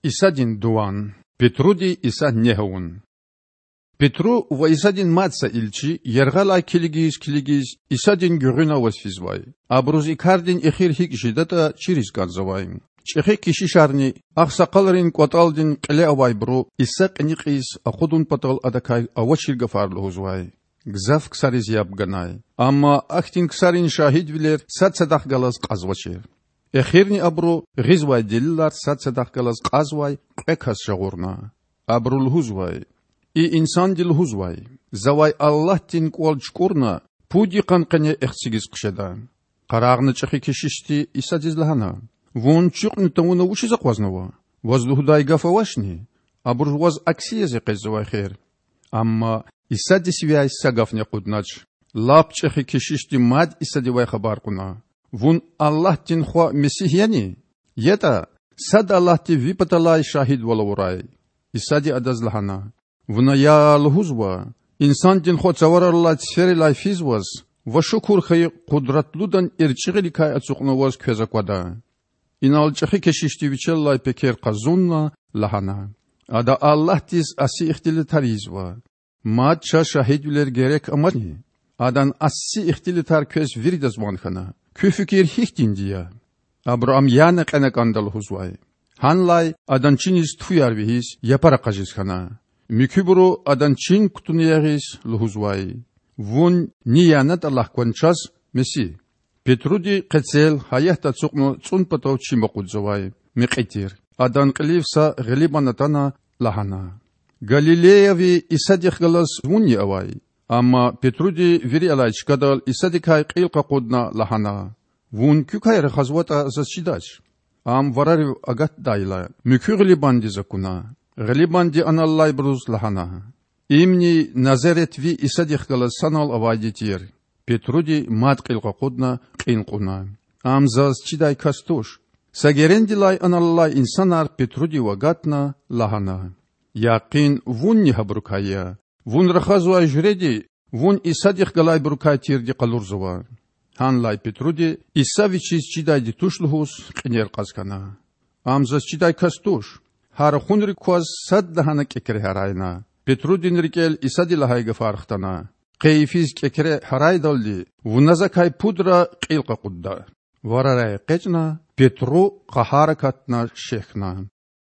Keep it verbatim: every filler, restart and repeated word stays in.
Исадин дуван. Петруди Иса негь авун. Петру ва Исадин мад са илчи яргъалай килигиз-килигиз Исадин гуьгъуьна аваз физвай. Абуруз и кардин эхир гьикӀ жедатӀа чириз кӀанзавай. ЧӀехи кешишарни, агъсакъалрин кӀватӀалдин кьиле авайбуру Иса кьиникьиз акъудун патал Адакай авачир гафар лугьузвай. Гзаф ксариз яб ганай. Амма ахьтин ксарин шагьидвилер сад-садахъ галаз кьазвачир. Эхирни абуру гъизвай делилар сад-садахъ галаз кьазвай кьве кас жагъурна. Абуру лугьузвай: И инсанди лугьузвай: Завай Аллагьдин кІвал чукІурна пуд йикъан къене эхцигиз хъжеда. Къарагъна чІехи кешишди Исадиз лагьана: Вун чуькьни тавуна вучиз акъвазнава? Ваз лугьудай гаф авачни? Абуруз ваз акси яз экъечІзавай хер. Амма Исади сивяй са гафни акъуднач. Лап чІехи кешишди мад Исадивай хабар кьуна: Вун Аллагьдин Хва Месигь яни? ЯтІа сад Аллагьди Ви паталай шагьидвал авурай. Исади адаз лагьана: Вуна я лугьузва: Инсандин Хва цавараллай циферилай физваз ва шукур хьайи Къудратлудан эрчІигъиликай ацукьнаваз квез аквада. Инал чІехи кешишди вичелай пекер къазунна лагьана: Ада Аллагьдиз аси ихтилатар ийизва. Мад чаз шагьидвилер герек амачни? Адан аси ихтилатар квез виридаз ван хьана. Куь фикир гьихьтинди я? Абуру ам яна кьена кІанда лугьузвай. Гьанлай адан чиниз туфуяр вегьиз, япара къажиз хьана. Муькуьбуру, адан чин кутуна ягъиз, лугьузвай: Вун ни янатІа лагь кван чаз Месигь. Петруди къецел, гьаятда ацукьна цІун патав чим акъудзавай, мекьи тир. Адан кьилив са гъилибан атана, лагьана: Галилеяви Исадихъ галаз вунни авай? Амма Петруди вири алай чкадал Исадикай кьил къакъудна лагьана: Вун куькай рахазватІа заз чидач. Ам варарив агатдайла, муькуь гъилибандиз акуна. Гъилибанди аналлайбуруз лагьана: Имни Назаретви Исадихъ галаз санал авайди тир. Петруди мад кьил къакъудна кьин кьуна: Ам заз чидай кас туш. Са герендилай аналлай инсанар Петрудив агатна, лагьана: Якъин вунни гьабурукай я. Вун рахазвай жуьреди вун Исадихъ галайбурукай тирди къалурзава. Гьанлай Петруди Иса вичиз чидайди туш лугьуз кьинер кьаз хьана: Ам заз чидай кас туш. Гьа рахунрик кваз садлагьана кІекре гьарайна. Петрудин рикІел Исади лагьай гафар хтана: Къе йифиз кІекре гьарайдалди вуна Закай пудра кьил къакъудда. Варарай экъечІна, Петру къагьар акатна шехьна.